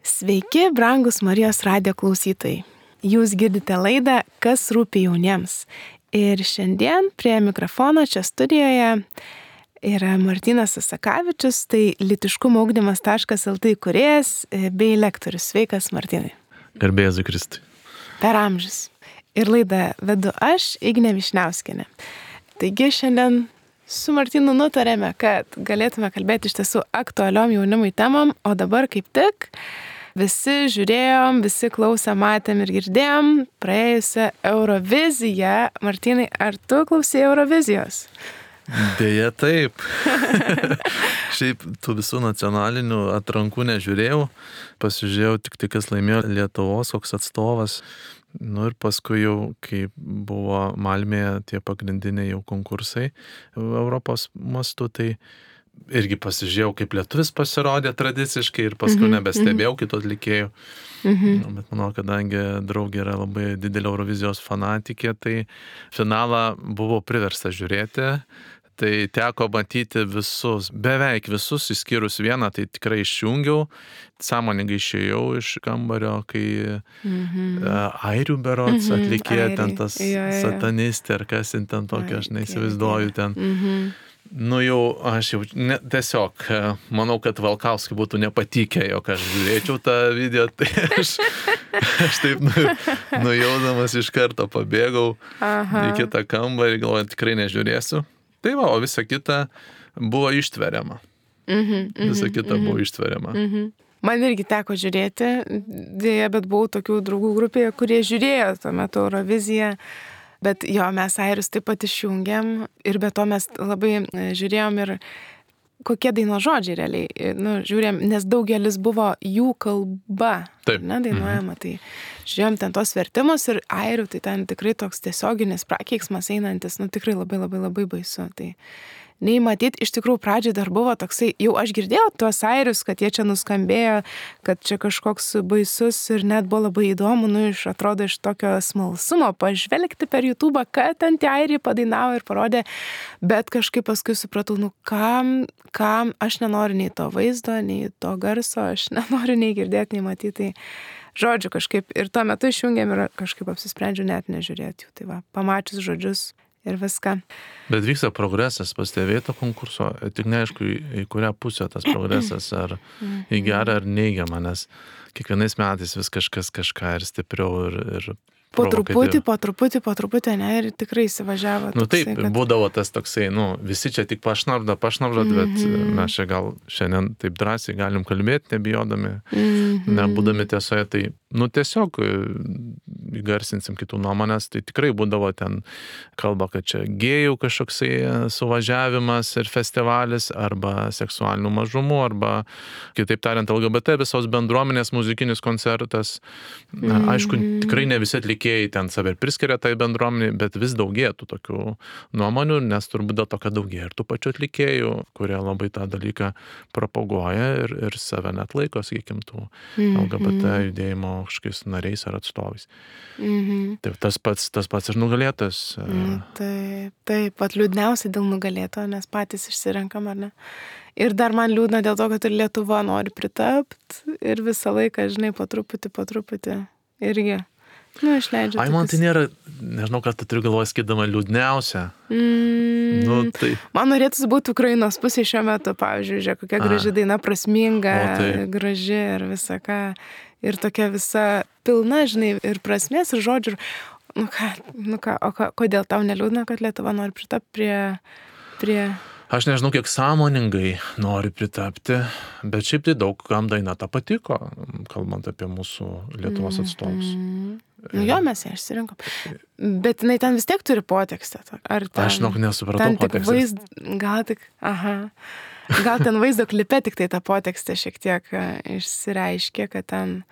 Sveiki, brangus Marijos radijo klausytojai. Jūs girdite laidą Kas rūpi jauniems. Ir šiandien prie mikrofono čia studijoje yra Martynas Asakavičius, tai lytiškumo ugdymas.lt įkūrėjas bei lektorius. Sveikas, Martynai. Garbė Jėzui Kristui. Per amžius. Ir laidą vedu aš, Ignė Višniauskienė. Taigi šiandien su Martynu nutarėme, kad galėtume kalbėti iš tiesų aktualiom jaunimui temom, o dabar kaip tik visi žiūrėjom, visi klausė, matėm ir girdėjom praėjusią Euroviziją. Martynai, ar tu klausėjai Eurovizijos? Deja taip. Šiaip tų visų nacionalinių atrankų nežiūrėjau, pasižiūrėjau tik tai, kas laimėjo Lietuvos, koks atstovas. Ir paskui jau, kai buvo Malmėje tie pagrindiniai jau konkursai Europos mastu, tai irgi pasižiūrėjau, kaip lietuvis pasirodė tradiciškai ir paskui nebestebėjau kitų atlikėjų. Bet manau, kadangi draugė yra labai didelė Eurovizijos fanatikė, tai finalą buvo priversta žiūrėti. Tai teko matyti visus, beveik visus, išskyrus vieną, tai tikrai išjungiau, sąmoningai išėjau iš kambario, kai airių berods atlikė ten tas satanistė ar kas ten tokia, aš neįsivaizduoju ten. Jau aš jau tiesiog manau, kad Valkauskui būtų nepatikę, jog aš žiūrėčiau tą video, tai aš taip nujaudamas iš karto pabėgau į kitą kambarį, galvoju, tikrai nežiūrėsiu. Tai va, o visa kita buvo ištveriama. Visa kita buvo ištveriama. Man irgi teko žiūrėti, dėja, bet buvau tokių draugų grupėje, kurie žiūrėjo tuo metu Euroviziją. Bet jo, mes airius taip pat išjungėm ir be to mes labai žiūrėjom ir kokie dainos žodžiai realiai. Žiūrėjom, nes daugelis buvo jų kalba. Taip. Dainuojama, tai žiūrėjom ten tos vertimus ir airių, tai ten tikrai toks tiesioginis prakeiksmas einantis, tikrai labai labai labai baisu. Tai nei matyt, iš tikrųjų pradžiai dar buvo toksai, jau aš girdėjau tuos airius, kad jie čia nuskambėjo, kad čia kažkoks baisus ir net buvo labai įdomu, atrodo iš tokio smalsumo pažvelgti per YouTube, kad ten tie airiai padainavo ir parodė, bet kažkaip paskui supratau, kam aš nenoriu nei to vaizdo, nei to garso, aš nenoriu nei girdėti, nei matyti. Žodžiu kažkaip ir tuo metu išjungėm ir kažkaip apsisprendžiu net nežiūrėti jų. Tai va, pamačius žodžius ir viską. Bet vyksta progresas, pastebėto konkurso, tik neaišku, į kurią pusę tas progresas, ar į gerą ar neigiamą, nes kiekvienais metais vis kažkas kažką ir stipriau ir po truputį, ne, ir tikrai įsivažiavo. Taip, kad būdavo tas toksai, visi čia tik pašnabžda, bet mes čia gal šiandien taip drąsiai galim kalbėti, nebijodami, nebūdami tiesoje, tai tiesiog įgarsinsim kitų nuomonės, tai tikrai būdavo ten kalba, kad čia gėjų kažkoksai suvažiavimas ir festivalis, arba seksualinių mažumų, arba, kitaip tariant, LGBT visos bendruomenės muzikinis koncertas. Aišku, tikrai ne visi atlikėjai ten save priskiria tai bendruomeniai, bet vis daugėtų tokių nuomonių, nes turbūt dėl to, kad daugėja ir tų pačių atlikėjų, kurie labai tą dalyką propaguoja ir save net laiko, sakykim, tų LGBT judėjimo kažkokiais nariais ar atstovais. Tai tas pats ir nugalėtas. Taip, pat liūdniausiai dėl nugalėto, nes patys išsirenkam, ar ne? Ir dar man liūdna dėl to, kad ir Lietuva nori pritapti ir visą laiką, žinai, po truputį irgi. Išleidžia. Man tai nėra, nežinau, kad tu turiu galvoje skydama liūdniausia. Tai. Man norėtųsi būti Ukrainos pusė šiuo metu, pavyzdžiui, žiūrėk, kokia graži daina, prasminga, graži ir visa ką. Ir tokia visa pilna, žinai, ir prasmės, ir žodžių. Kodėl tau neliūdna, kad Lietuva nori pritapti prie... Aš nežinau, kiek sąmoningai nori pritapti, bet šiaip tai daug kam daina ta patiko, kalbant apie mūsų Lietuvos atstovus. Mes ją išsirinkom. Bet jinai ten vis tiek turi potekstę. Aš nesupratau potekstės. Gal ten vaizdo klipe tik tai ta potekstė šiek tiek išsireiškė, kad ten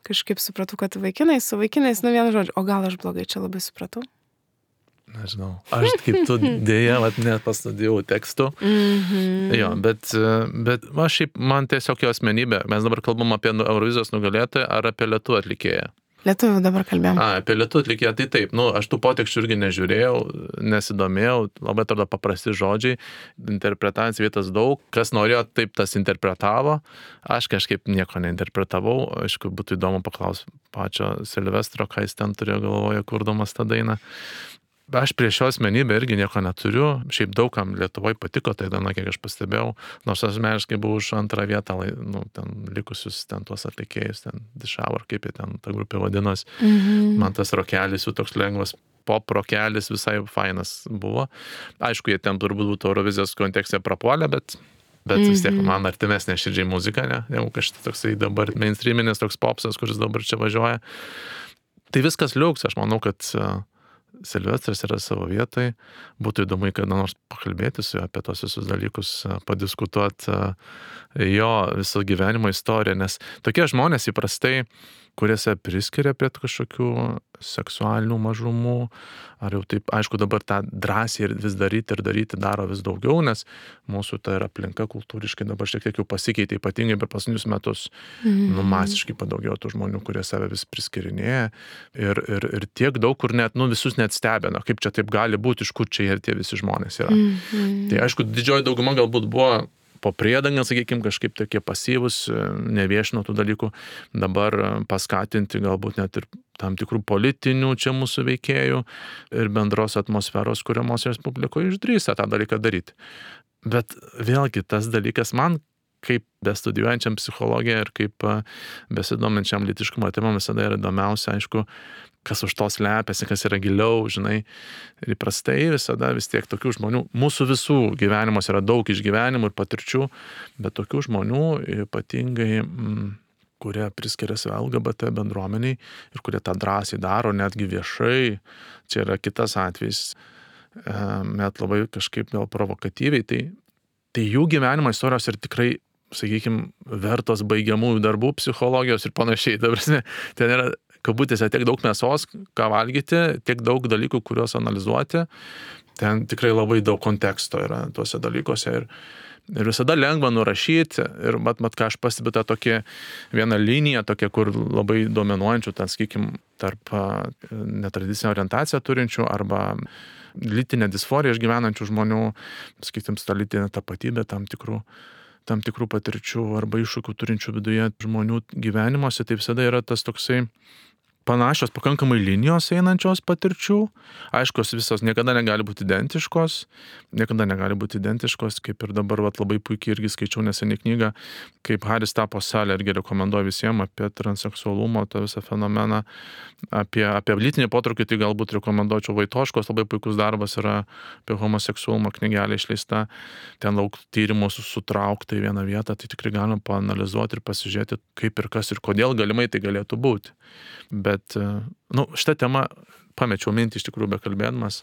kažkaip supratau, kad vaikinais, su vaikinais, vienu žodžiu, o gal aš blogai čia labai supratau? Nežinau. Aš kaip tu dėja, net pastudijau tekstų. Jo, bet šiaip man tiesiog jo asmenybė. Mes dabar kalbam apie Eurovizijos nugalėtoją ar apie lietuvių atlikėją. Lietuvių dabar kalbėjom. Apie lietuvių atlikėją, tai taip, aš tų poteksčių irgi nežiūrėjau, nesidomėjau, labai atrodo paprasti žodžiai, interpretacijų vietas daug, kas norėjo, taip tas interpretavo, aš kažkaip nieko neinterpretavau, aišku, būtų įdomu paklausti pačio Silvestro, ką jis ten turėjo galvoje, kurdamas tą dainą. Aš prieš šio asmenybę irgi nieko neturiu, šiaip daugam Lietuvoje patiko tai daina, kiek aš pastebėjau, nors asmeniškai buvau už antrą vietą, ten likusius ten tuos atlikėjus, ten Dišavor, kaip jie ten ta grupė vadinos, man tas rokelis jų toks lengvas, pop rokelis visai fainas buvo. Aišku, jie ten turbūt būtų Eurovizijos kontekste prapuolę, bet vis tiek man artimesnė širdžiai muzika, ne? Negu kažkaip toksai dabar mainstreaminis toks popsas, kuris dabar čia važiuoja. Tai viskas liuks, aš manau, kad Silvestras yra savo vietai, būtų įdomu, kada nors pakalbėti su juo apie tos visus dalykus, padiskutuoti jo viso gyvenimo istoriją, nes tokie žmonės įprastai, kuriuose priskiria prie kažkokių seksualinių mažumų, ar jau taip, aišku, dabar tą drąsiai ir vis daryti daro vis daugiau, nes mūsų ta aplinka kultūriškai dabar šiek tiek jau pasikeitė, ypatingai per paskutinius metus, masiškai padaugėjo tų žmonių, kurie save vis priskirinėja ir tiek daug, kur net, visus net stebina, kaip čia taip gali būti, iš kur čia ir tie visi žmonės yra. Tai aišku, didžioji dauguma galbūt buvo po priedangą, sakykime, kažkaip tokie pasyvus, neviešino tų dalykų, dabar paskatinti galbūt net ir tam tikrų politinių čia mūsų veikėjų ir bendros atmosferos kuriamos Respublikoje išdrįsta tą dalyką daryti. Bet vėlgi tas dalykas man, kaip bestudijuojančiam psichologiją ir kaip besidominčiam lytiškumo temom visada yra įdomiausia, aišku, kas už to slepiasi, kas yra giliau, žinai. Ir įprastai visada vis tiek tokių žmonių, mūsų visų gyvenimuose yra daug išgyvenimų ir patirčių, bet tokių žmonių ypatingai, kurie priskiria save LGBT bendruomeniai ir kurie tą drąsiai daro, netgi viešai, čia yra kitas atvejis, net labai kažkaip gal provokatyviai, tai jų gyvenimo istorijos ir tikrai, sakykime, vertos baigiamųjų darbų psichologijos ir panašiai. Dabar ten yra kabutėse tiek daug mėsos, ką valgyti, tiek daug dalykų, kuriuos analizuoti. Ten tikrai labai daug konteksto yra tuose dalykuose ir visada lengva nurašyti. Ir mat, ką aš pastebiu, tą tokią vieną liniją, tokią, kur labai dominuojančių, ten, sakykime, tarp netradicinę orientaciją turinčių arba lytinę disforiją išgyvenančių žmonių, sakykime, tą lytinę tapatybę tam tikrų patirčių arba iššūkių turinčių viduje žmonių gyvenimuose, tai visada yra tas toksai panašios pakankamai linijos einančios patirčių. Aišku, visos niekada negali būti identiškos, kaip ir dabar labai puikiai irgi skaičiau neseniai knygą, kaip Haris tapo salė, irgi rekomenduoju visiems apie transseksualumo tą visą fenomeną, apie lytinį potraukį, tai galbūt rekomenduočiau Vaitoškos, labai puikus darbas yra apie homoseksualumą, knygelė išleista, ten daug tyrimų sutraukta į vieną vietą, tai tikrai galima paanalizuoti ir pasižiūrėti, kaip ir kas ir kodėl galimai tai galėtų būti. Bet, šitą temą pamečiau mintį iš tikrųjų bekalbėdamas,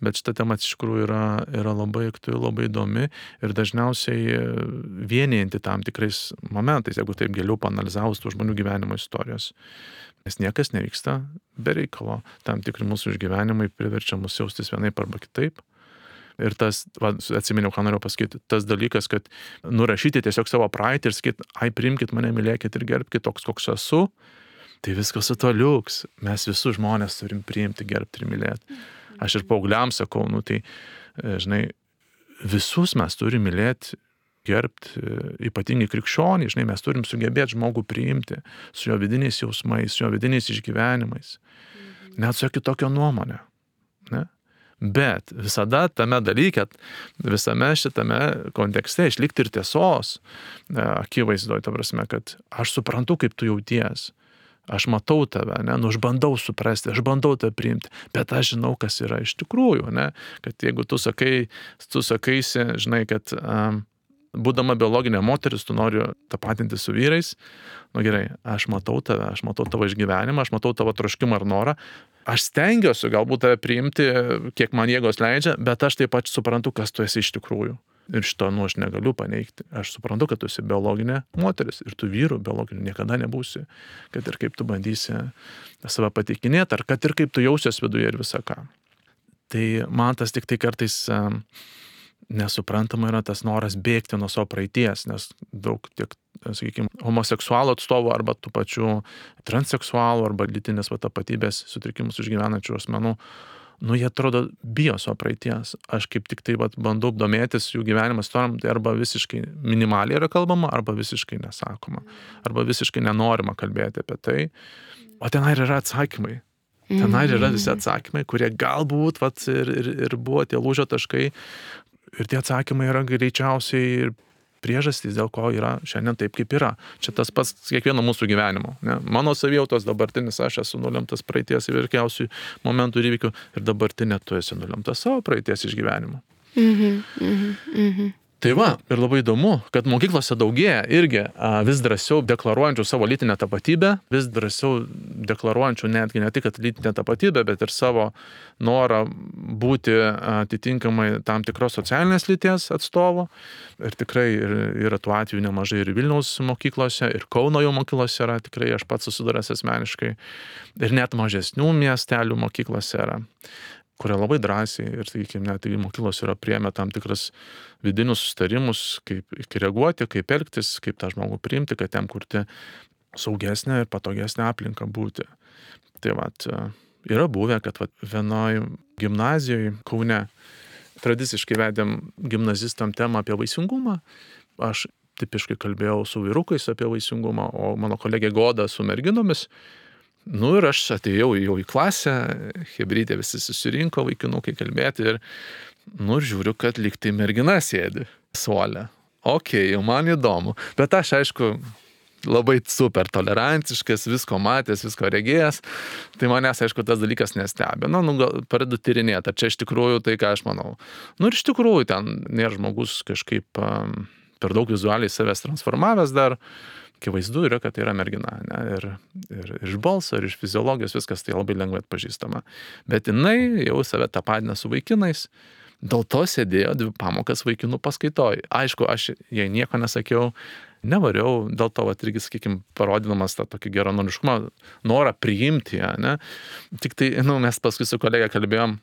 bet šitą temą iš tikrųjų yra labai aktuali, labai įdomi ir dažniausiai vienijanti tam tikrais momentais, jeigu taip giliau paanalizavus tų žmonių gyvenimo istorijos. Nes niekas nevyksta be reikalo, tam tikri mūsų išgyvenimai priverčia mus jaustis vienaip arba kitaip. Ir tas, atsiminiau, ką noriu pasakyti, tas dalykas, kad nurašyti tiesiog savo praeitį ir sakyti, priimkit mane, mylėkit ir gerbkit toks, koks esu, tai viskas su to liuks. Mes visus žmonės turim priimti, gerbti ir mylėti. Aš ir paaugliams sakau, tai, žinai, visus mes turim mylėti, gerbti, ypatingai krikščionį, žinai, mes turim sugebėti žmogų priimti su jo vidiniais jausmais, su jo vidiniais išgyvenimais. Net su jo kitokio nuomonė. Ne? Bet visada tame dalyke, visame šitame kontekste išlikti ir tiesos akivaizdoje, ta prasme, kad aš suprantu, kaip tu jauties. Aš matau tave, aš bandau suprasti, aš bandau tave priimti, bet aš žinau, kas yra iš tikrųjų, kad jeigu tu sakaisi, žinai, kad būdama biologinė moteris, tu nori tapatinti su vyrais, gerai, aš matau tave, aš matau tavo išgyvenimą, aš matau tavo troškimą ar norą, aš stengiuosi galbūt tave priimti, kiek man jėgos leidžia, bet aš taip pat suprantu, kas tu esi iš tikrųjų. Ir šito, aš negaliu paneigti. Aš suprantu, kad tu esi biologinė moteris ir tu vyrų biologinių niekada nebūsi. Kad ir kaip tu bandysi save pateikinėti, ar kad ir kaip tu jausies viduje ir visą ką. Tai man tas tik tai kartais nesuprantama yra tas noras bėgti nuo savo praeities, nes daug tiek, sakykime, homoseksualų atstovų arba tų pačių transseksualų arba lytinės tapatybės sutrikimus išgyvenančių asmenų, jie atrodo bijo savo praeities. Aš kaip tik tai bandau domėtis jų gyvenimo istorijom, tai arba visiškai minimaliai yra kalbama, arba visiškai nesakoma, arba visiškai nenorima kalbėti apie tai. O tenai yra atsakymai. Tenai yra visi atsakymai, kurie galbūt ir buvo tie lūžio taškai. Ir tie atsakymai yra greičiausiai ir priežastys, dėl ko yra šiandien taip, kaip yra. Čia tas pats kiekvieno mūsų gyvenimo. Ne? Mano savijautos dabartinis aš esu nulemtas praeities įvairiausių momentų ir įvykių ir dabartinė tu esi nulemtas savo praeities išgyvenimo. Tai va, ir labai įdomu, kad mokyklose daugėja irgi vis drąsiau deklaruojančių savo lytinę tapatybę, vis drąsiau deklaruojančių netgi ne tik lytinę tapatybę, bet ir savo norą būti atitinkamai tam tikros socialinės lyties atstovo. Ir tikrai yra tų atvejų nemažai ir Vilniaus mokyklose, ir Kauno jau mokyklose yra, tikrai aš pats susidūręs asmeniškai, ir net mažesnių miestelių mokyklose yra, kurie labai drąsiai ir, sakykime, net mokyklos yra priėmę tam tikras vidinius susitarimus, kaip reaguoti, kaip elgtis, kaip tą žmogų priimti, kad jam kurti saugesnę ir patogesnę aplinką būti. Tai yra buvę, kad vienoj gimnazijoje Kaune tradiciškai vedėm gimnazistam temą apie vaisingumą. Aš tipiškai kalbėjau su vyrukais apie vaisingumą, o mano kolegė Goda su merginomis. Ir aš atėjau jau į klasę, chebrytė visi susirinko, vaikinukai kalbėti ir žiūriu, kad lyg tai mergina sėdi suole. Jau man įdomu. Bet aš, aišku, labai super tolerantiškas, visko matęs, visko regėjęs. Tai manęs, aišku, tas dalykas nestebino. Gal pradedu tyrinėti, ar čia iš tikrųjų tai, ką aš manau. Ir iš tikrųjų ten nėra žmogus kažkaip per daug vizualiai savęs transformavęs dar. Akivaizdu yra, kad tai yra mergina, ne? Ir iš balso, ir iš fiziologijos viskas tai labai lengvai atpažįstama. Bet jinai jau save tapatina su vaikinais, dėl to sėdėjo 2 pamokas vaikinų paskaitoj. Aišku, aš jai nieko nesakiau, nevariau, dėl to irgi, sakykime, parodydamas tą tokį geranoriškumą, norą priimti ją, ne? Tik tai, mes paskui su kolega kalbėjom,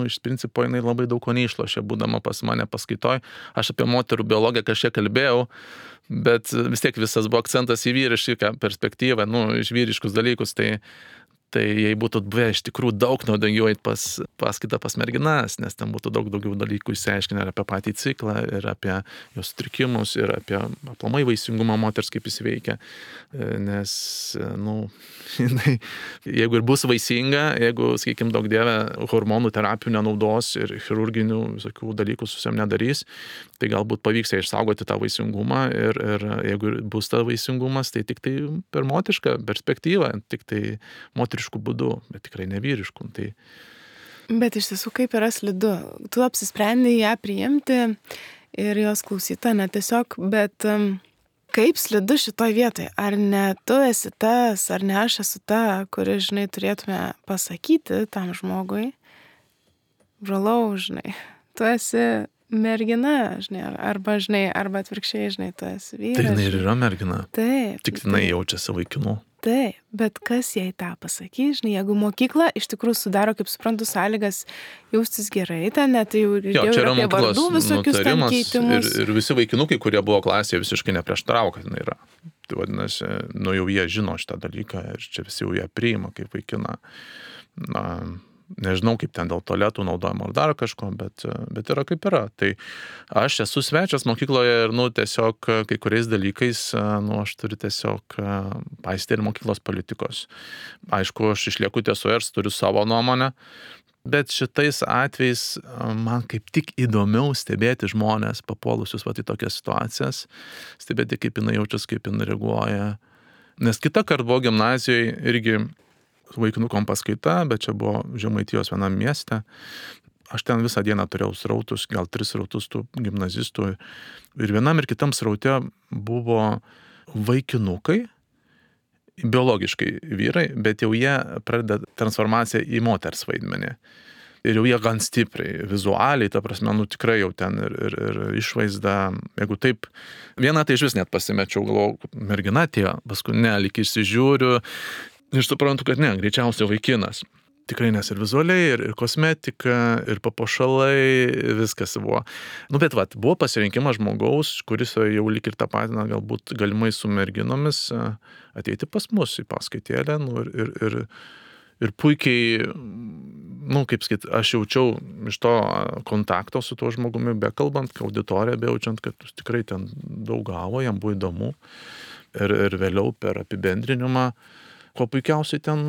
iš principo jinai labai daug ko neišlošė, būdama pas mane paskaitoj. Aš apie moterų biologiją kažkiek kalbėjau, bet vis tiek visas buvo akcentas į vyrišką perspektyvą, iš vyriškus dalykus, tai jei būtų buvę iš tikrųjų daug naudingiau eit paskaitą pas merginas, nes ten būtų daug daugiau dalykų išsiaiškinę ir apie patį ciklą, ir apie jos sutrikimus, ir apie aplamai vaisingumą moters, kaip jis veikia. Nes, jinai, jeigu ir bus vaisinga, jeigu, sakykime, daug dievė hormonų terapijų nenaudos ir chirurginių visokių dalykų su savim nedarys, tai galbūt pavyks ją išsaugoti tą vaisingumą ir jeigu bus ta vaisingumas, tai tik tai per moterišką perspektyvą, tik tai moteriškų būdų, bet tikrai ne vyriškų. Tai... Bet iš tiesų kaip yra slidu. Tu apsisprendai ją priimti ir jos klausyta, ne tiesiog, bet kaip slidu šitoj vietoje? Ar ne tu esi tas, ar ne aš esu ta, kuri, žinai, turėtume pasakyti tam žmogui, brolau, žinai, tu esi mergina, žinai, arba atvirkščiai, žinai, tu esi vyras. Tai jinai ir yra mergina. Taip. Tik jinai jaučiasi vaikinu. Taip, bet kas jai tą pasakys, žinai, jeigu mokykla iš tikrųjų sudaro, kaip suprantu, sąlygas jaustis gerai, ten net jau ir apie vardų visokius ten keitimus. Ir visi vaikinukai, kurie buvo klasėje, visiškai neprieštaravo, kad jinai yra. Tai vadinasi, jau jie žino šitą dalyką ir čia visi jau ją priima kaip vaikina. Nežinau, kaip ten dėl tualetų naudojimo ar dar kažko, bet yra kaip yra. Tai aš esu svečias mokykloje ir, tiesiog kai kuriais dalykais, aš turiu tiesiog paisyti ir mokyklos politikos. Aišku, aš išlieku tiesoje ir turiu savo nuomonę, bet šitais atvejais man kaip tik įdomiau stebėti žmonės papuolusius į tokias situacijas, stebėti, kaip jinai jaučiasi, kaip jinai reaguoja. Nes kitą kartą buvo gimnazijoje irgi vaikinukom paskaita, bet čia buvo Žemaitijos vienam mieste. Aš ten visą dieną turėjau srautus, gal 3 srautus tų gimnazistų. Ir vienam ir kitam sraute buvo vaikinukai, biologiškai vyrai, bet jau jie pradeda transformaciją į moters vaidmenį. Ir jau jie gan stipriai, vizualiai, ta prasme, tikrai jau ten ir išvaizda, jeigu taip, vieną tai iš vis net pasimečiau, galvojau, mergina atėjo, paskui lyg išsižiūriu, ir suprantu, kad ne, greičiausiai vaikinas. Tikrai nes ir vizualiai, ir kosmetika, ir papuošalai, viskas buvo. Bet buvo pasirinkimas žmogaus, kuris jau lyg ir tapatina galbūt galimai su merginomis ateiti pas mus į paskaitėlę, ir puikiai, kaip sakyt, aš jaučiau iš to kontakto su tuo žmogumi, bekalbant, auditoriją bejaučiant, kad tikrai ten daug gavo, jam buvo įdomu. Ir vėliau per apibendrinimą, kuo puikiausiai ten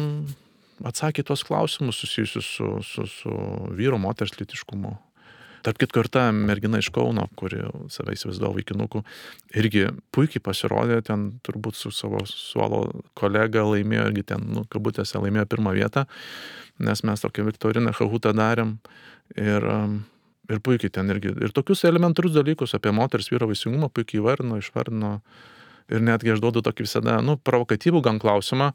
atsakė tos klausimus susijusius su vyro moters lytiškumu. Tarp kitko ir ta mergina iš Kauno, kuri save įsivaizduoja vaikinuku, irgi puikiai pasirodė, ten turbūt su savo suolo kolega laimėjo, irgi ten, kabutėse, laimėjo pirmą vietą, nes mes tokią viktoriną Kahutą darėm ir puikiai ten irgi. Ir tokius elementarius dalykus apie moters vyro vaisingumą puikiai išvardino. Ir netgi aš duodu tokį visada, provokatyvų gan klausimą,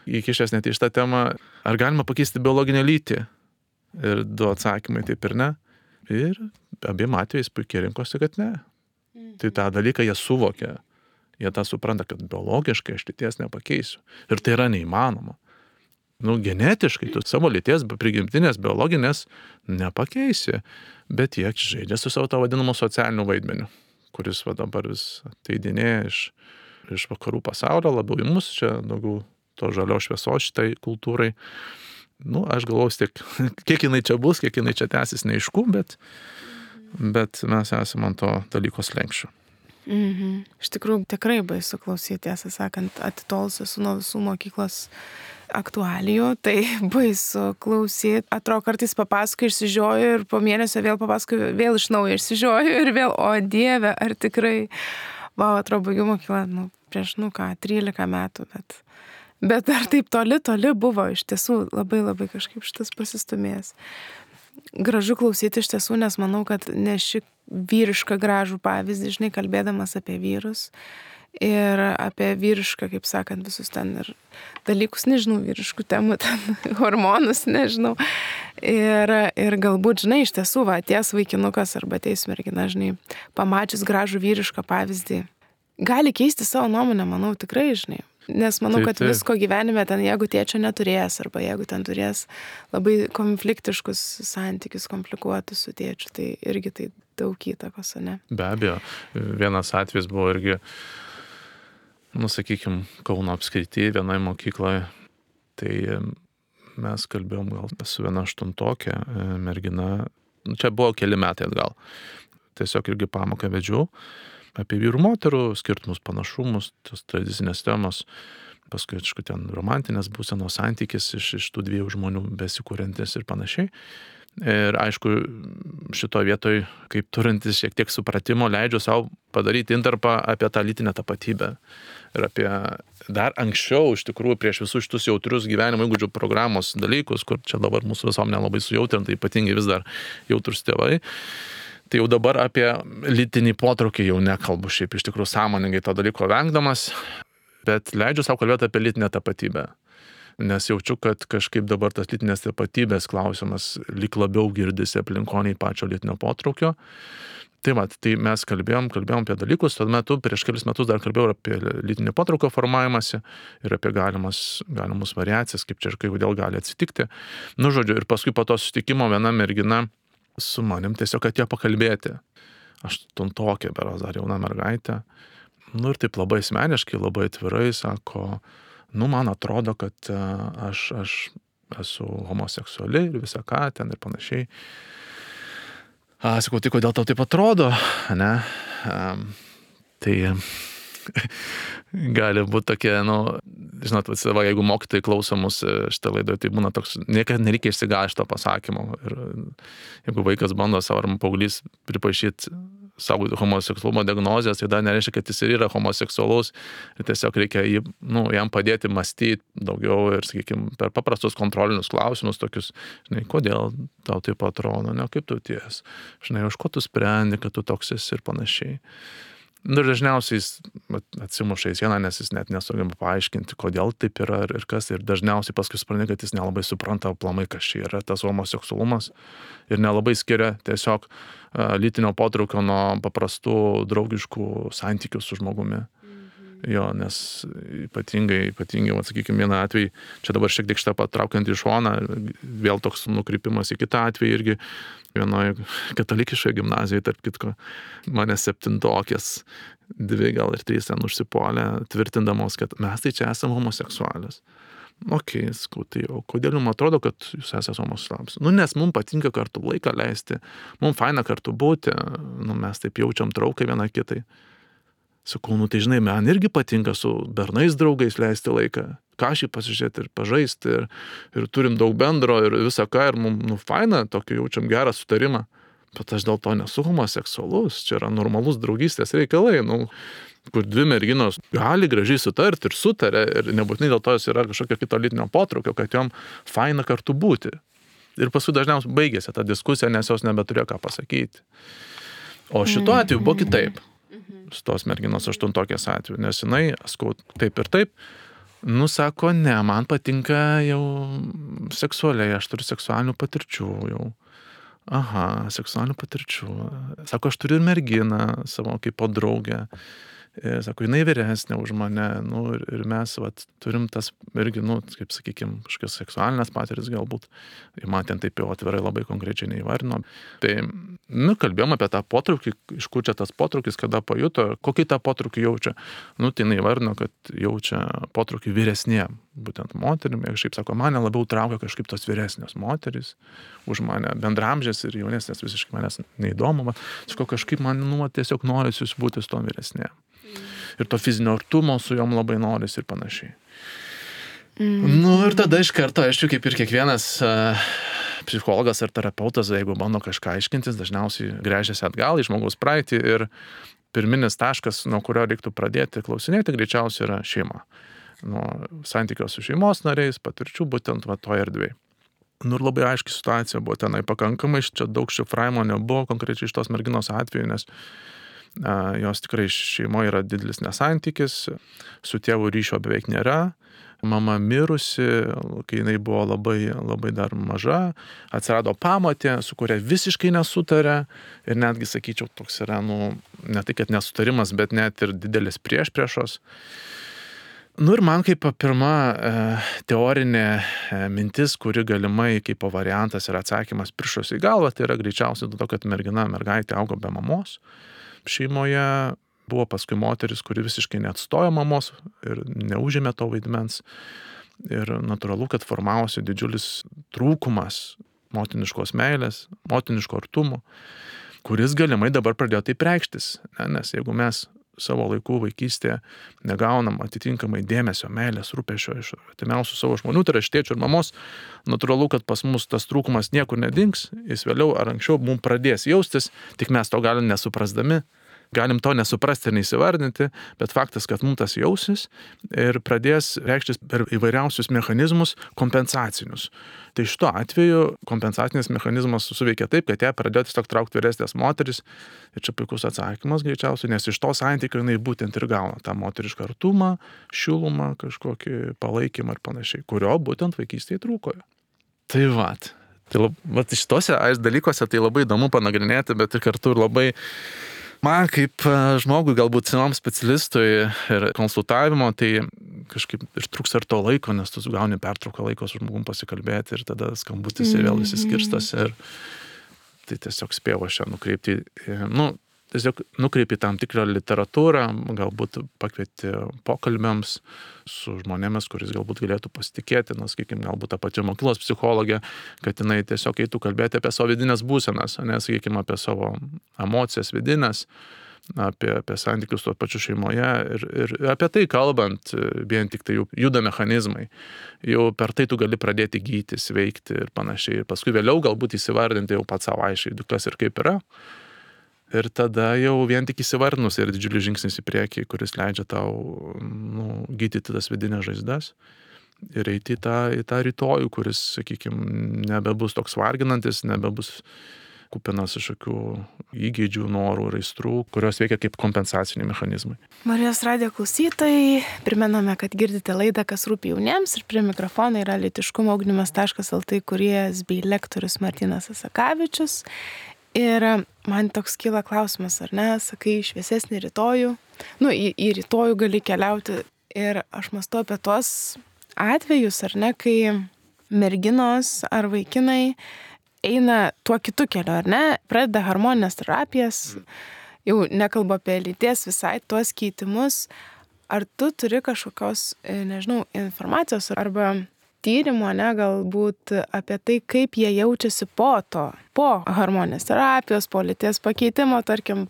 įkišęs net į šitą temą, ar galima pakeisti biologinę lytį? Ir 2 atsakymai taip ir ne. Ir abiem atvejais puikiai rinkosi, kad ne. Tai tą dalyką jie suvokia. Jie tą supranta, kad biologiškai aš lyties nepakeisiu. Ir tai yra neįmanoma. Genetiškai tu savo lyties prigimtinės biologinės nepakeisi. Bet jie žaidžia su savo tą vadinamą socialiniu vaidmeniu, kuris dabar vis ateidinėja iš vakarų pasaulio, labiau į mus, čia daugiau to žalio šviesos šitai kultūrai. Aš galvoju, kiek jinai čia bus, kiek jinai čia tęsis, neaišku, bet mes esame ant to dalyko slenksčio. Iš tikrųjų, tikrai baisu klausyti, tiesą sakant, atitolusiu nuo visų mokyklos aktualijų, tai baisu klausyti. Atrodo, kartais papasakoju, išsižioju ir po mėnesio vėl papasakoju, vėl iš naujo išsižioju ir vėl, o Dieve, ar tikrai, atrodo, baigiau mokyklą, prieš, 13 metų, bet dar taip toli buvo, iš tiesų labai kažkaip šitas pasistumėjęs. Gražu klausyti iš tiesų, nes manau, kad neši vyrišką gražų pavyzdį, žinai, kalbėdamas apie vyrus ir apie vyrišką, kaip sakant, visus ten ir dalykus, nežinau, vyriškų temų, ten hormonus, nežinau. Ir galbūt, žinai, iš tiesų, atėjęs vaikinukas arba atėjus mergina, žinai, pamačius gražų vyrišką pavyzdį, gali keisti savo nuomonę, manau, tikrai, žinai. Nes manau, kad visko gyvenime ten, jeigu tėčio neturės, arba jeigu ten turės labai konfliktiškus santykius, komplikuotus su tėčiu, tai irgi tai daug įtakos, ne? Be abejo, vienas atvejis buvo irgi, sakykime, Kauno apskrityje vienoje mokykloje, tai mes kalbėjom gal su viena 8-tokė mergina, čia buvo keli metai atgal, tiesiog irgi pamoką vedžiau apie vyrų moterų skirtumus, panašumus, tos tradicinės temos, paskui, aišku, ten romantinės būsenos santykis iš tų 2 žmonių besikūrentis ir panašiai. Ir aišku, šito vietoj, kaip turintis šiek tiek supratimo, leidžiu savo padaryti intarpą apie tą lytinę tapatybę. Ir apie dar anksčiau, iš tikrųjų, prieš visus šitus jautrius gyvenimo įgūdžių programos dalykus, kur čia dabar mūsų visuomenė labai sujautrinta, ypatingai vis dar jautrus tėvai. Tai jau dabar apie lytinį potraukį jau nekalbu, šiaip iš tikrųjų sąmoningai to dalyko vengdamas, bet leidžiu savo kalbėti apie lytinę tapatybę. Nes jaučiu, kad kažkaip dabar tas lytinės tapatybės klausimas lyg labiau girdisi aplinkoniai pačio lytinio potraukio. Tai mes kalbėjom apie dalykus, tuo metu prieš kelis metus dar kalbėjau apie lytinį potraukio formavimąsi ir apie galimus variacijas, kaip čia ir kodėl gali atsitikti. Žodžiu, ir paskui po to susitikimo viena mergina su manim tiesiog atėjo pakalbėti. 8-tokė, berods dar jauna mergaitė. Ir taip labai asmeniškai, labai atvirai sako, man atrodo, kad aš esu homoseksuali ir visą ką ten ir panašiai. Sakau, tai kodėl tau taip atrodo, ne? Tai gali būti tokie, žinot, jeigu mokytojai klauso mus šitą laidą, tai būna toks, niekada nereikia išsigąsti to pasakymo. Ir jeigu vaikas bando savo ar paauglys pripažinti savo homoseksualumo diagnozės, tai dar nereiškia, kad jis ir yra homoseksualus. Ir tiesiog reikia jam padėti mąstyti daugiau ir, sakykime, per paprastus kontrolinius klausimus tokius, žinai, kodėl tau taip atrodo, ne, kaip tu ties, žinai, už ko tu sprendi, kad tu toks esi ir panašiai. Ir dažniausiai jis atsimuša į sieną, nes jis net nesugeba paaiškinti, kodėl taip yra ir kas. Ir dažniausiai paskui supranti, kad jis nelabai supranta aplamai, kas čia yra tas homoseksualumas. Ir nelabai skiria tiesiog lytinio potraukio nuo paprastų draugiškų santykių su žmogumi. Jo, nes ypatingai, sakykime, vieną atvejį, čia dabar šiek tiek šitą patraukiant į šoną, vėl toks nukrypimas į kitą atvejį irgi vienoje katalikiškoje gimnazijoje, tarp kitko, mane 7-okės, 2 gal ir 3 ten užsipolė, tvirtindamos, kad mes tai čia esame homoseksualios. Ok, sakau, tai o kodėl jums atrodo, kad jūs esate homoseksualūs? Nes mums patinka kartu laiką leisti, mums faina kartu būti, mes taip jaučiam trauką vieną kitai. Sakau, tai žinai, man irgi patinka su bernais draugais leisti laiką, kažkaip pasižiūrėti ir pažaisti, ir turim daug bendro ir visą ką, ir mums faina, tokį jaučiam gerą sutarimą. Bet aš dėl to nesu homoseksualus, čia yra normalus draugystės reikalai, kur 2 merginos gali gražiai sutarti ir sutarė, ir nebūtinai dėl to jos yra kažkokio kito lytinio potraukio, kad jom faina kartu būti. Ir paskui dažniausiai baigėsi ta diskusija, nes jos nebeturėjo ką pasakyti. O šituo atveju buvo kitaip. Su tos merginos 8-okės atveju, nes jinai, sakau, taip ir taip, sako, ne, man patinka jau seksualiai, aš turiu seksualinių patirčių jau. Aha, seksualinių patirčių. Sako, aš turiu ir merginą savo kaip po draugę. Sako, jinai vyresnė už mane, ir mes turim tas irgi, kaip sakykime, kažkokios seksualinės patirtis galbūt. Ir man ten taip jau atvirai labai konkrečiai neįvarino. Tai, kalbėjom apie tą potraukį, iš kur čia tas potraukis, kada pajuto, kokį tą potraukį jaučia. Tai jinai įvarino, kad jaučia potraukį vyresniem, būtent moterim. Ir šiaip sako, mane labiau traukia kažkaip tos vyresnios moteris už mane, bendramžės ir jaunesnės visiškai manęs neįdomu. Sako, kažkaip man tiesiog norisi būti su tom vyresnėm. Ir to fizinio artumo su jom labai norisi ir panašiai. Ir tada iš karto, aišku, kaip ir kiekvienas psichologas ar terapeutas, jeigu bando kažką aiškintis, dažniausiai gręžiasi atgal į žmogaus praeitį ir pirminis taškas, nuo kurio reiktų pradėti klausinėti, greičiausiai yra šeima. Nuo santykio su šeimos nariais, patirčių būtent toje erdvėje. Ir labai aiški situacija buvo tenai pakankamai, čia daug šifravimo nebuvo konkrečiai iš tos merginos atveju, nes jos tikrai šeimoje yra didelis nesantykis, su tėvu ryšio beveik nėra, mama mirusi, kai jinai buvo labai, labai dar maža, atsirado pamotė, su kuria visiškai nesutarė ir netgi, sakyčiau, toks yra, ne tai, kad nesutarimas, bet net ir didelis priešpriešos. Ir man kaip pirma teorinė mintis, kuri galimai kaip variantas ir atsakymas piršosi į galvą, tai yra greičiausiai dėl to, kad mergaitė augo be mamos. Šeimoje buvo paskui moteris, kuri visiškai neatstojo mamos ir neužėmė to vaidmens. Ir natūralu, kad formavosi didžiulis trūkumas motiniškos meilės, motiniško artumo, kuris galimai dabar pradėjo taip reikštis. Nes jeigu mes savo laikų vaikystėje negaunam atitinkamai dėmesio, meilės, rūpesčio iš artimiausių savo žmonių, tai yra iš tėčio ir mamos, natūralu, kad pas mus tas trūkumas niekur nedings, jis vėliau ar anksčiau mums pradės jaustis, tik mes to galim nesuprasdami, galim to nesuprasti ir neįsivardinti, bet faktas, kad mums tas jausis ir pradės reikštis per įvairiausius mechanizmus kompensacinius. Tai šituo atveju kompensacinis mechanizmas suveikia taip, kad ją pradėjo tiesiog traukti vyresnės moteris ir čia puikus atsakymas greičiausiai, nes iš to santykio jinai būtent ir gauna tą moterišką artumą, šilumą, kažkokį palaikymą ir panašiai, kurio būtent vaikystėje trūko. Tai šitose dalykuose tai labai įdomu panagrinėti, bet ir kartu ir labai man kaip žmogui, galbūt senam specialistui ir konsultavimo, tai kažkaip ir trūks ir to laiko, nes tu gauni pertrauką laiko su žmogum pasikalbėti ir tada skambutis ir vėl įsiskirstas ir tai tiesiog spėjau aš čia nukreipti, tiesiog nukreipi tam tikrą literatūrą, galbūt pakvieti pokalbiams su žmonėmis, kuris galbūt galėtų pasitikėti, sakykime, galbūt tą pačią mokyklos psichologę, kad jinai tiesiog eitų kalbėti apie savo vidinės būsenas, sakykime, apie savo emocijas vidinės, apie santykius tuo pačiu šeimoje ir apie tai kalbant, vien tik tai juda mechanizmai. Jau per tai tu gali pradėti gyti, sveikti ir panašiai. Ir paskui vėliau galbūt įsivardinti jau pats savo aiškiai, kas ir kaip yra. Ir tada jau vien tik įsivardinus ir didžiulis žingsnis į priekį, kuris leidžia tau gydyti tas vidinės žaizdas ir eiti į tą rytojų, kuris, sakykime, nebebus toks varginantis, nebebus kupinas kažkokių įgeidžių, norų ir aistrų, kurios veikia kaip kompensaciniai mechanizmai. Marijos radijo klausytojai, primename, kad girdite laidą Kas rūpi jauniems ir prie mikrofono yra lytiškumo ugdymas.lt kūrėjas bei lektorius Martynas Asakavičius. Ir man toks kyla klausimas, ar ne, sakai, šviesesnį rytojų, į rytojų gali keliauti. Ir aš mąstu apie tuos atvejus, ar ne, kai merginos ar vaikinai eina tuo kitu keliu, ar ne, pradeda hormoninės terapijas, jau nekalbu apie lyties visai tuos keitimus. Ar tu turi kažkokios, nežinau, informacijos arba tyrimo, ne, galbūt apie tai, kaip jie jaučiasi po hormoninės terapijos, po lyties pakeitimo, tarkim,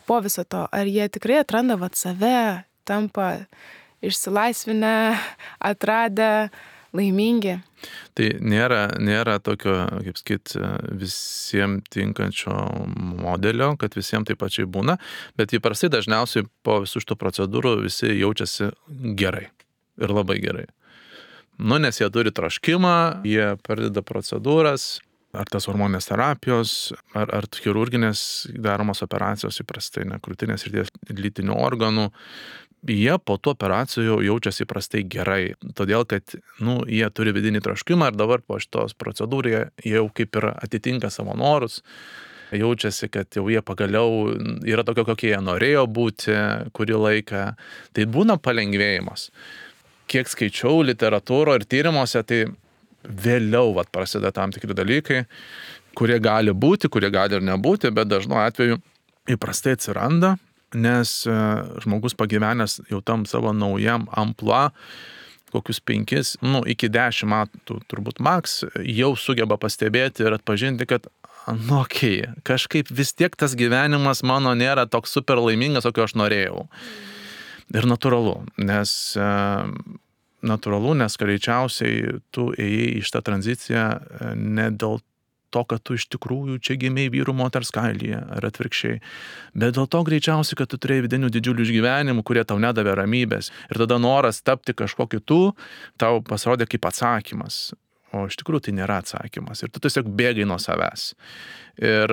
po viso to. Ar jie tikrai atranda save, tampa išsilaisvinę, atradę, laimingi? Tai nėra tokio, kaip sakyt, visiems tinkančio modelio, kad visiems taip pačiai būna, bet įprastai dažniausiai po visų šitų procedūrų visi jaučiasi gerai ir labai gerai. Nes jie turi troškimą, jie pradeda procedūras, ar tas hormoninės terapijos, ar chirurginės daromos operacijos įprastai, krūtinės ir lytinių organų. Jie po tų operacijų jaučiasi įprastai gerai, todėl kad jie turi vidinį troškimą ir dabar po šitos procedūrų jie jau kaip ir atitinka savo norus, jaučiasi, kad jau jie pagaliau yra tokio, kokie jie norėjo būti kurį laiką. Tai būna palengvėjimas. Kiek skaičiau literatūro ir tyrimuose, tai vėliau prasideda tam tikri dalykai, kurie gali būti, kurie gali ir nebūti, bet dažnu atveju įprastai atsiranda, nes žmogus pagyvenęs jau tam savo naujam amplua, kokius 5, iki 10 metų turbūt maks, jau sugeba pastebėti ir atpažinti, kad kažkaip vis tiek tas gyvenimas mano nėra toks super laimingas, kokio aš norėjau. Ir natūralu, nes greičiausiai tu ėjai į šitą tranziciją ne dėl to, kad tu iš tikrųjų čia gimei vyrų moters kailyje, ar atvirkščiai, bet dėl to greičiausiai, kad tu turėjai vidinių didžiulių išgyvenimų, kurie tau nedavė ramybės. Ir tada noras tapti kažkuo kitu tau pasirodė kaip atsakymas. O iš tikrųjų tai nėra atsakymas. Ir tu tiesiog bėgai nuo savęs. Ir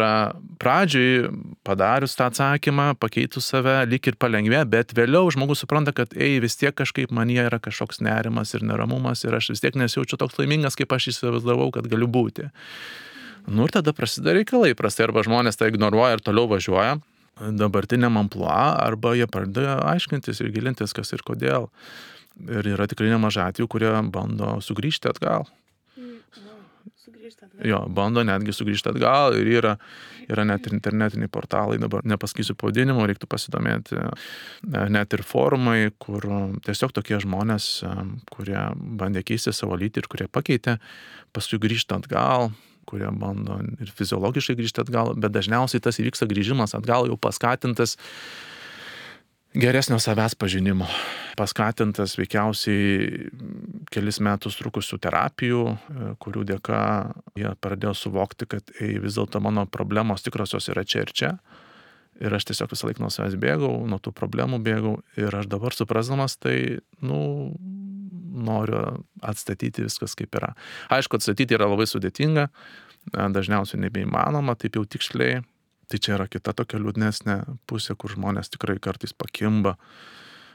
pradžiai padarius tą atsakymą, pakeitus save, lyg ir palengvė, bet vėliau žmogus supranta, kad vis tiek kažkaip manyje yra kažkoks nerimas ir neramumas ir aš vis tiek nesijaučiu toks laimingas, kaip aš įsivaizdavau, kad galiu būti. Ir tada prasideda reikalai, prastai arba žmonės tai ignoruoja ir toliau važiuoja dabartiniam amplua, arba jie pradeda aiškintis ir gilintis, kas ir kodėl. Ir yra tikrai nemažai atvejų, kurie bando sugrįžti atgal. Jo, bando netgi sugrįžti atgal ir yra net ir internetiniai portalai, dabar nepasakysiu pavadinimo, reiktų pasidomėti, net ir forumai, kur tiesiog tokie žmonės, kurie bandė keisti savo lytį ir kurie pakeitė, paskui grįžta atgal, kurie bando ir fiziologiškai grįžti atgal, bet dažniausiai tas įvyksta grįžimas atgal jau paskatintas geresnio savęs pažinimo, paskatintas veikiausiai kelis metus trukusių terapijų, kurių dėka jie pradėjo suvokti, kad vis dėlto mano problemos tikrosios yra čia ir čia. Ir aš tiesiog visą laiką nuo savęs bėgau, nuo tų problemų bėgau. Ir aš dabar suprasdamas tai, noriu atstatyti viskas kaip yra. Aišku, atstatyti yra labai sudėtinga, dažniausiai nebeįmanoma, taip jau tiksliai. Tai čia yra kita tokia liūdnesnė pusė, kur žmonės tikrai kartais pakimba.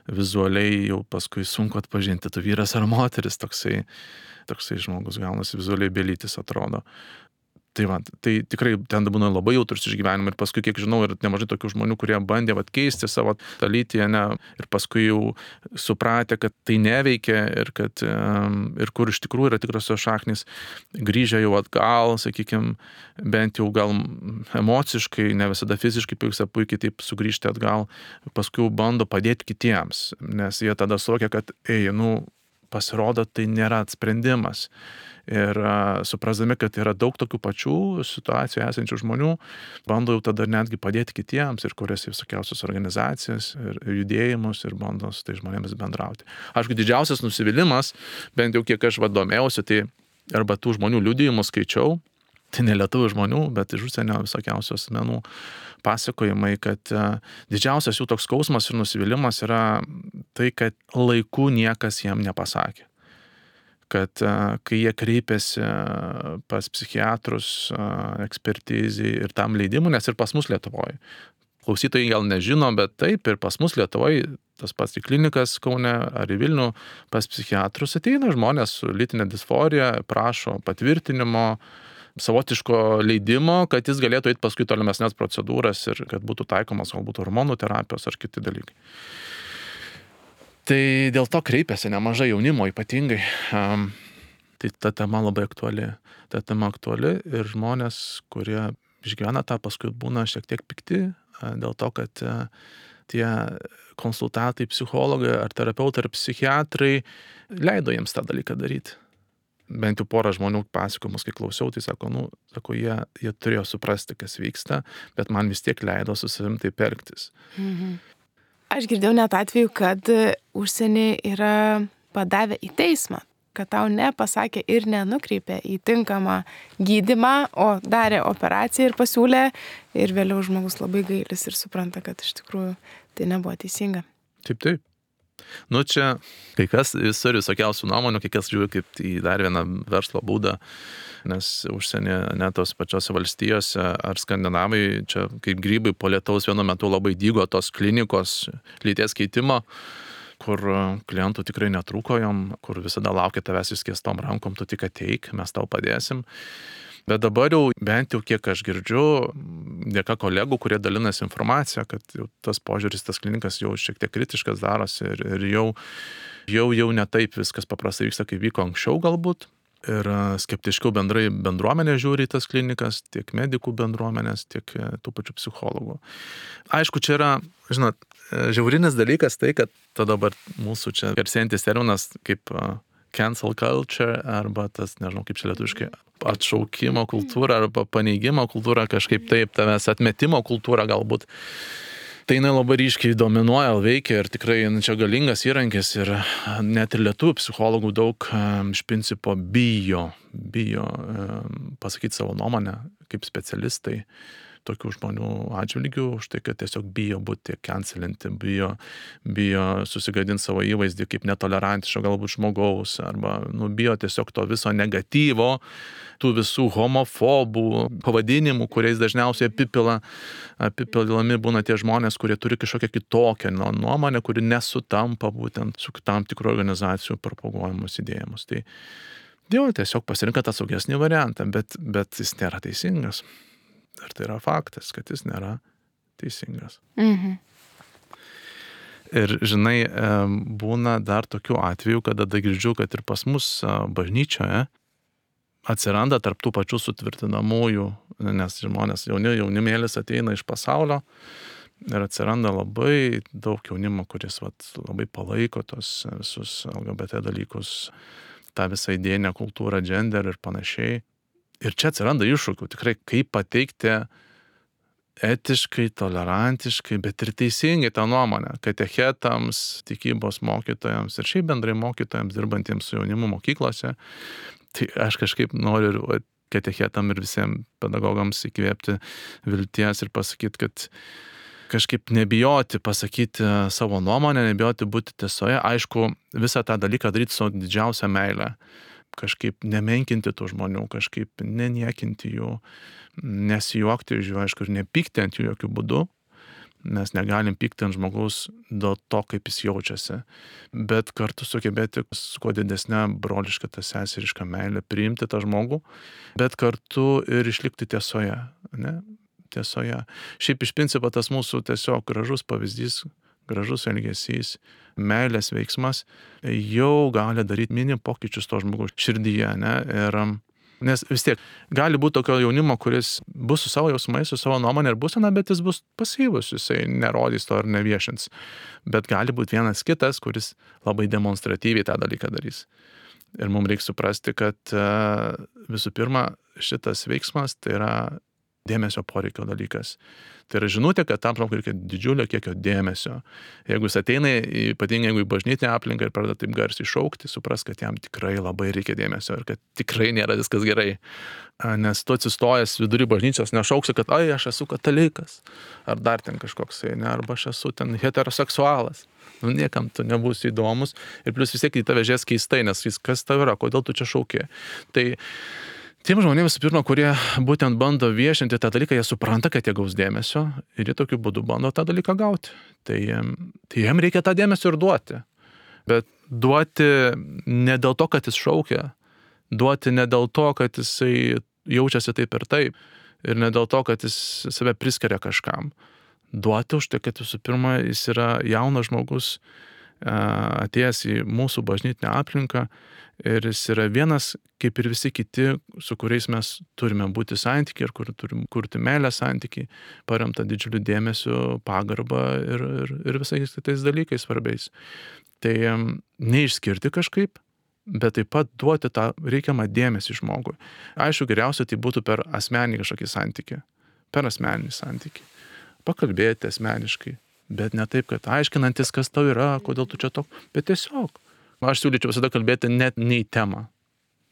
Vizualiai jau paskui sunku atpažinti, tu vyras ar moteris, toksai žmogus gaunasi vizualiai belytis atrodo. Tai tikrai ten būna labai jautrus išgyvenimai ir paskui, kiek žinau, ir nemažai tokių žmonių, kurie bandė keisti savo tą lytį, ir paskui jau supratę, kad tai neveikia ir kur iš tikrųjų yra tikrosios šaknys, grįžę jau atgal, sakykime, bent jau gal emociškai, ne visada fiziškai pavyksta puikiai taip sugrįžti atgal, paskui bando padėti kitiems, nes jie tada suvokia, kad pasirodo, tai nėra sprendimas. Ir suprasdami, kad yra daug tokių pačių situacijų esančių žmonių, bando jau tada netgi padėti kitiems ir kuriasi visokiausios organizacijas ir judėjimus ir bando su tai žmonėmis bendrauti. Aišku, didžiausias nusivylimas, bent jau kiek aš domėjausi, tai arba tų žmonių liudijimų skaičiau, tai ne lietuvių žmonių, bet iš užsienio visokiausių asmenų pasakojimai, kad didžiausias jų toks skausmas ir nusivylimas yra tai, kad laiku niekas jam nepasakė. Kad kai jie kreipėsi pas psichiatrus ekspertizai ir tam leidimui, nes ir pas mus Lietuvoje. Klausytojai gal nežino, bet taip ir pas mus Lietuvoje, tas pats į klinikas Kaune ar į Vilnių, pas psichiatrus ateina žmonės su lytinė disforija, prašo patvirtinimo, savotiško leidimo, kad jis galėtų eiti paskui tolimesnės procedūras ir kad būtų taikomas galbūt hormonų terapijos ar kiti dalykai. Tai dėl to kreipiasi nemažai jaunimo ypatingai. Tai ta tema labai aktuali. Ta tema aktuali ir žmonės, kurie išgyvena tą, paskui būna šiek tiek pikti dėl to, kad tie konsultantai, psichologai ar terapeutai ar psichiatrai leido jiems tą dalyką daryti. Bent jau porą žmonių pasakojimus, kai klausiau, tai sako, jie turėjo suprasti, kas vyksta, bet man vis tiek leido su savim taip elgtis. Aš girdėjau net atveju, kad užsienį yra padavę į teismą, kad tau nepasakė ir nenukreipė į tinkamą gydymą, o darė operaciją ir pasiūlė, ir vėliau žmogus labai gailis ir supranta, kad iš tikrųjų tai nebuvo teisinga. Taip. Čia kai kas turi visokiausių nuomonių, kai kas žiūri kaip į dar vieną verslo būdą, nes užsienį net tos pačiose valstijose ar Skandinavai, čia kaip grybai po lietaus vienu metu labai dygo tos klinikos lyties keitimo, kur klientų tikrai netrūko jom, kur visada laukia tavęs išskėstom rankom, tu tik ateik, mes tau padėsim. Bet dabar jau, bent jau kiek aš girdžiu, dėka kolegų, kurie dalinasi informaciją, kad jau tas požiūris, tas klinikas jau šiek tiek kritiškas darosi ir jau ne taip viskas paprastai vyksta, kaip vyko anksčiau galbūt. Ir skeptiškiau bendrai bendruomenė žiūri į tas klinikas, tiek medikų bendruomenės, tiek tų pačių psichologų. Aišku, čia yra, žinot, žiaurinis dalykas tai, kad dabar mūsų čia garsėjantis terminas kaip cancel culture arba tas, nežinau kaip čia lietuviškai, atšaukimo kultūra arba paneigimo kultūra, kažkaip taip, tavęs atmetimo kultūra galbūt. Tai jinai labai ryškiai dominuoja, veikia ir tikrai čia galingas įrankis ir net ir lietuvių psichologų daug iš principo bijo pasakyti savo nuomonę kaip specialistai tokių žmonių atžvilgių, už tai, kad tiesiog bijo būti cancelinti, bijo susigadinti savo įvaizdį kaip netolerantiško galbūt žmogaus, arba bijo tiesiog to viso negatyvo, tų visų homofobų pavadinimų, kuriais dažniausiai apipilami būna tie žmonės, kurie turi kažkokią kitokią nuomonę, kuri nesutampa būtent su tam tikrų organizacijų propaguojamus idėjimus. Tai tiesiog pasirinka tą saugesnį variantą, bet jis nėra teisingas. Ir tai yra faktas, kad jis nėra teisingas. Ir žinai, būna dar tokių atvejų, kada girdžiu, kad ir pas mus bažnyčioje atsiranda tarp tų pačių sutvirtinamųjų, nes žmonės jaunimėlis ateina iš pasaulio ir atsiranda labai daug jaunimo, kuris labai palaiko tos visus LGBT dalykus, tą visą idėjinę kultūrą, gender ir panašiai. Ir čia atsiranda iššūkių, tikrai kaip pateikti etiškai, tolerantiškai, bet ir teisingai tą nuomonę, katechetams, tikybos mokytojams ir šiaip bendrai mokytojams dirbantiems su jaunimu mokyklose. Tai aš kažkaip noriu katechetam ir visiems pedagogams įkvėpti vilties ir pasakyti, kad kažkaip nebijoti pasakyti savo nuomonę, nebijoti būti tiesoje. Aišku, visą tą dalyką daryti su didžiausia meile. Kažkaip nemenkinti tų žmonių, kažkaip neniekinti jų, nesijuokti iš jų, aišku, ir nepykti ant jų jokių būdų, nes negalim pykti ant žmogaus dėl to, kaip jis jaučiasi, bet kartu sugebėti su kuo didesnė broliška, ta seseriška meilė priimti tą žmogų, bet kartu ir išlikti tiesoje, ne? Tiesoje. Šiaip iš principo tas mūsų tiesiog gražus pavyzdys, gražus elgesys, meilės veiksmas jau gali daryti mini pokyčius to žmogaus širdyje, ne? Ir, nes vis tiek gali būti tokio jaunimo, kuris bus su savo jausmais, su savo nuomonė ir būsena, bet jis bus pasyvus, jisai nerodys to ir neviešins. Bet gali būti vienas kitas, kuris labai demonstratyviai tą dalyką darys. Ir mums reikia suprasti, kad visų pirma šitas veiksmas tai yra dėmesio poreikio dalykas. Tai yra žinutė, kad tam žmogui reikia didžiulio kiekio dėmesio. Jeigu jis ateina, ypatingai jeigu į bažnytinę aplinką ir pradeda taip garsiai šaukti, supras, kad jam tikrai labai reikia dėmesio ir kad tikrai nėra viskas gerai. Nes tu atsistojęs vidury bažnyčios nešauksi, kad aš esu katalikas, ar dar ten kažkoks, ne, arba aš esu ten heteroseksualas. Niekam tu nebūsi įdomus ir plus vis tiek į tave žies keistai, nes kas tau yra, kodėl tu čia šauki. Tai tiem žmonėms, visų pirma, kurie būtent bando viešinti tą dalyką, jie supranta, kad jie gaus dėmesio ir jie tokiu būdu bando tą dalyką gauti. Tai jiem reikia tą dėmesio ir duoti. Bet duoti ne dėl to, kad jis šaukia, duoti ne dėl to, kad jisai jaučiasi taip ir taip. Ir ne dėl to, kad jis save priskiria kažkam. Duoti už tai, kad visų pirma jis yra jaunas žmogus, atėjęs į mūsų bažnytinę aplinką ir jis yra vienas, kaip ir visi kiti, su kuriais mes turime būti santykiai ir kur turim kurti meilės santykiai, paremta didžiuliu dėmesiu, pagarbą ir visais kitais dalykais svarbiais. Tai neišskirti kažkaip, bet taip pat duoti tą reikiamą dėmesį žmogui. Aišku, geriausia tai būtų per asmeninį kažkokį santykį, per asmeninį santykį. Pakalbėti asmeniškai. Bet ne taip, kad aiškinantis, kas tau yra, kodėl tu čia toks, bet tiesiog. Aš siūlyčiau visada kalbėti net ne į temą.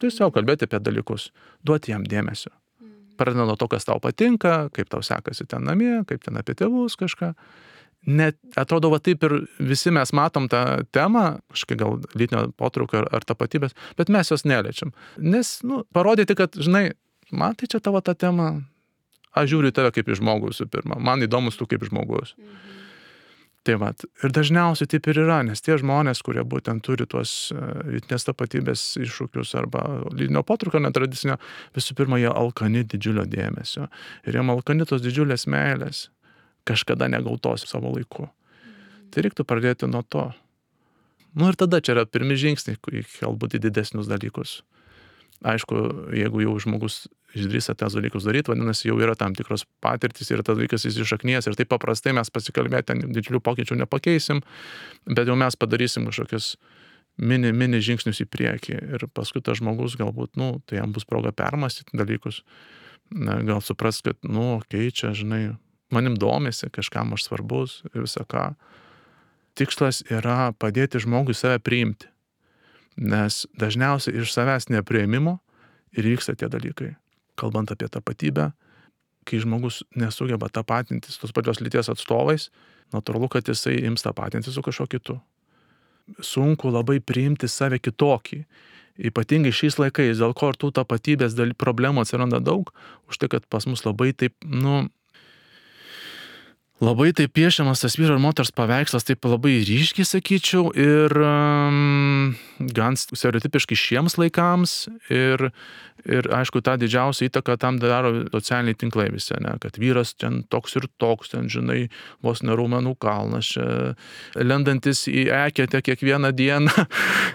Tiesiog kalbėti apie dalykus, duoti jam dėmesio. Pradedant nuo to, kas tau patinka, kaip tau sekasi ten namie, kaip ten apie tėvus kažką. Net atrodo, va taip ir visi mes matom tą temą, kažkaip gal lytinio potraukio ar tapatybės, bet mes jos neliečiam. Nes, parodyti, kad, žinai, man tai čia tavo ta tema, aš žiūriu į tave kaip į žmogų visų pirma, man įdomus tu kaip žmogus. Tai vat, ir dažniausiai taip ir yra, nes tie žmonės, kurie būtent turi tuos lytinės tapatybės iššūkius arba lytinio potraukio netradicinio, visų pirma, jie alkani didžiulio dėmesio. Ir jiem alkani tos didžiulės meilės, kažkada negautos savo laiku. Tai reiktų pradėti nuo to. Ir tada čia yra pirmi žingsniai, galbūt į didesnius dalykus. Aišku, jeigu jau žmogus išdrįsta tas dalykus daryti, vadinasi, jau yra tam tikros patirtis ir tas dalykas įsišaknijęs ir taip paprastai mes pasikalbėti, didžiulių pokyčių nepakeisim, bet jau mes padarysim kažkokius mini žingsnius į priekį ir paskui tas žmogus galbūt, tai jam bus proga permąstyti dalykus, gal supras, kad, čia, žinai, manim domisi, kažkam aš svarbus ir visą ką. Tikslas yra padėti žmogui save priimti, nes dažniausiai iš savęs nepriėmimo ir vyksta tie dalykai. Kalbant apie tapatybę, kai žmogus nesugeba tapatintis tos pačios lyties atstovais, natūralu, kad jisai ims tapatintis su kažkuo kitu. Sunku labai priimti save kitokį. Ypatingai šiais laikais, dėl ko ir tų tapatybės problemų atsiranda daug, už tai, kad pas mus labai taip, labai taip piešiamas tas vyro ir moters paveikslas, taip labai ryškiai sakyčiau ir gan stereotipiškai šiems laikams ir aišku, tą didžiausią įtaką tam daro socialiniai tinklai visi, kad vyras ten toks ir toks, ten, žinai, vos ne raumenų kalnas, čia lendantis į eketę kiekvieną dieną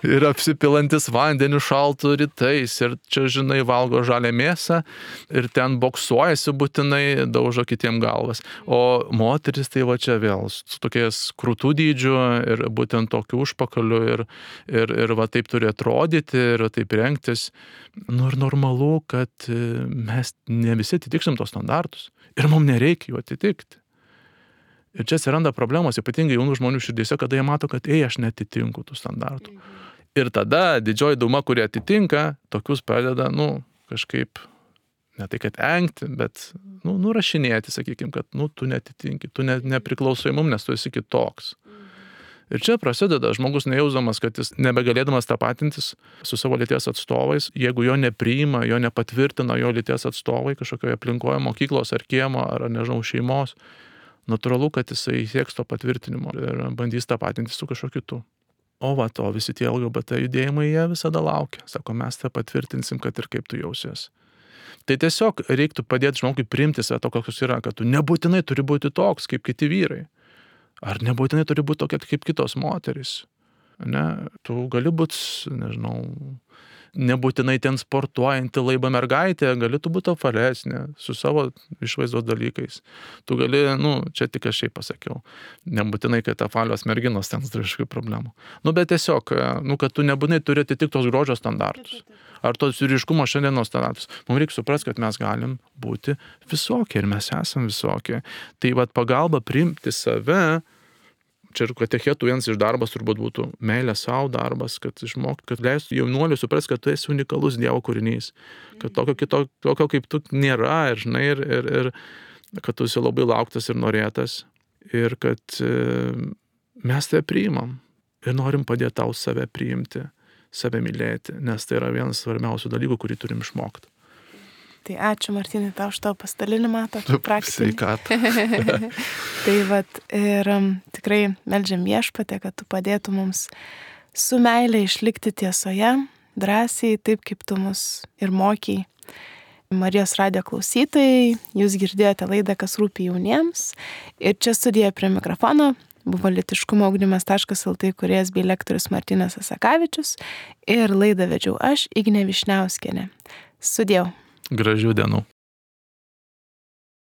ir apsipilantis vandeniu šaltų rytais ir čia, žinai, valgo žalią mėsą ir ten boksuojasi būtinai, daužo kitiem galvas. O moteris tai va čia vėl su tokiais krūtų dydžiu ir būtent tokiu užpakaliu ir va taip turi atrodyti ir taip rengtis. Ir normalu, kad mes ne visi atitiksim tos standartus ir mums nereikia jų atitikti. Ir čia atsiranda problemos, ypatingai jaunų žmonių širdyse, kada jie mato, kad aš netitinku tų standartų. Ir tada didžioji dauguma, kurie atitinka, tokius pradeda, kažkaip ne tai, kad engti, bet, nurašinėti, sakykime, kad, tu netitinki, tu nepriklausai mum, nes tu esi kitoks. Ir čia prasideda žmogus nejausdamas, kad jis nebegalėdamas tapatintis su savo lyties atstovais, jeigu jo nepriima, jo nepatvirtina jo lyties atstovai kažkokioje aplinkoje, mokyklos ar kiemo, ar nežinau, šeimos, natūralu, kad jisai sieks to patvirtinimo ir bandys tapatintis su kažkokiu kitu. O visi tie LGBT judėjimai, jie visada laukia. Sako, mes tą patvirtinsim, kad ir kaip tu jausies. Tai tiesiog reiktų padėti žmogui priimti save to, koks yra, kad tu nebūtinai turi būti toks, kaip kiti vyrai. Ar nebūtinai turi būti tokia kaip kitos moterys. Tu gali būti, nežinau, nebūtinai ten sportuojanti laiba mergaitė, gali tu būti apvalesnė su savo išvaizdos dalykais. Tu gali, čia tik aš šiaip pasakiau, nebūtinai, kad apvalios merginos ten turi kažkokių problemų. Bet tiesiog, kad tu nebūtinai turi atitikti tos grožio standartus. Ar tos vyriškumo šiandienos standartus. Mums reikia suprasti, kad mes galim būti visokie ir mes esam visokie. Tai pagalba priimti save, čia ir katechetų vienas iš darbas turbūt būtų meilė savo darbas, kad išmokti, kad leistų jaunuoliui suprasti, kad tu esi unikalus Dievo kūrinys, kad tokio kaip tu nėra ir kad tu esi labai lauktas ir norėtas ir kad mes tai priimam ir norim padėti tau save priimti, save mylėti, nes tai yra vienas svarbiausių dalykų, kurį turim išmokti. Tai ačiū, Martynai, tau už tavo pasidalinimą, tokį praktinį. Sveikatą. Tai ir tikrai meldžiam Viešpatį, kad tu padėtų mums su meile išlikti tiesoje, drąsiai, taip kaip tu mus ir mokiai. Marijos radijo klausytojai, jūs girdėjote laidą Kas rūpi jauniems. Ir čia studijoje prie mikrofono buvo lytiškumo ugdymas.lt kūrėjas bei lektorius Martynas Asakavičius. Ir laidą vedžiau aš, Ignė Višniauskienė. Sudėjau. Gražių dienų.